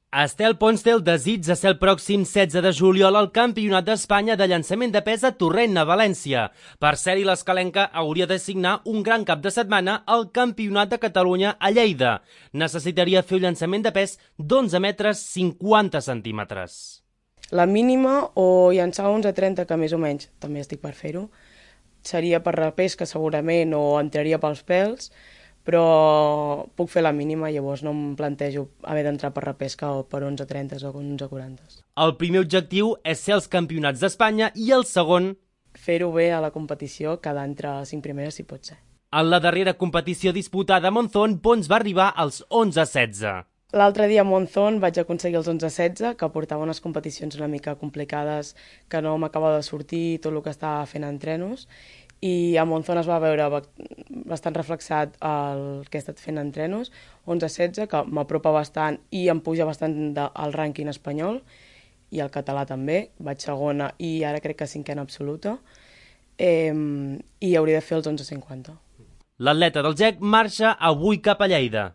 Estel Pons té el desig de ser el pròxim 16 de juliol al Campionat d'Espanya de llançament de pes a Torrent, a València. Per ser-hi, l'escalenca hauria de signar un gran cap de setmana al Campionat de Catalunya a Lleida. Necessitaria fer un llançament de pes d'11 metres 50 centímetres. La mínima o llançar 11,30, que més o menys també estic per fer-ho, seria per repesca segurament o entraria pels pèls, però puc fer la mínima, llavors no em plantejo haver d'entrar per repesca o per 11,30 o 11,40. El primer objectiu és ser als Campionats d'Espanya i el segon, fer-ho bé a la competició, quedar entre 5 primeres si pot ser. en la darrera competició disputada a Monzón, Pons va arribar als 11-16. L'altre dia a Monzón vaig aconseguir els 11,16, que portava unes competicions una mica complicades, que no m'acabava de sortir tot el que estava fent a entrenos, i a Monzón es va veure bastant reflexat el que he estat fent a entrenos, 11,16, que m'apropa bastant i em puja bastant al rànquing espanyol, i el català també, vaig segona i ara crec que cinquena absoluta, i hauria de fer els 11,50. L'atleta del GEC marxa avui cap a Lleida.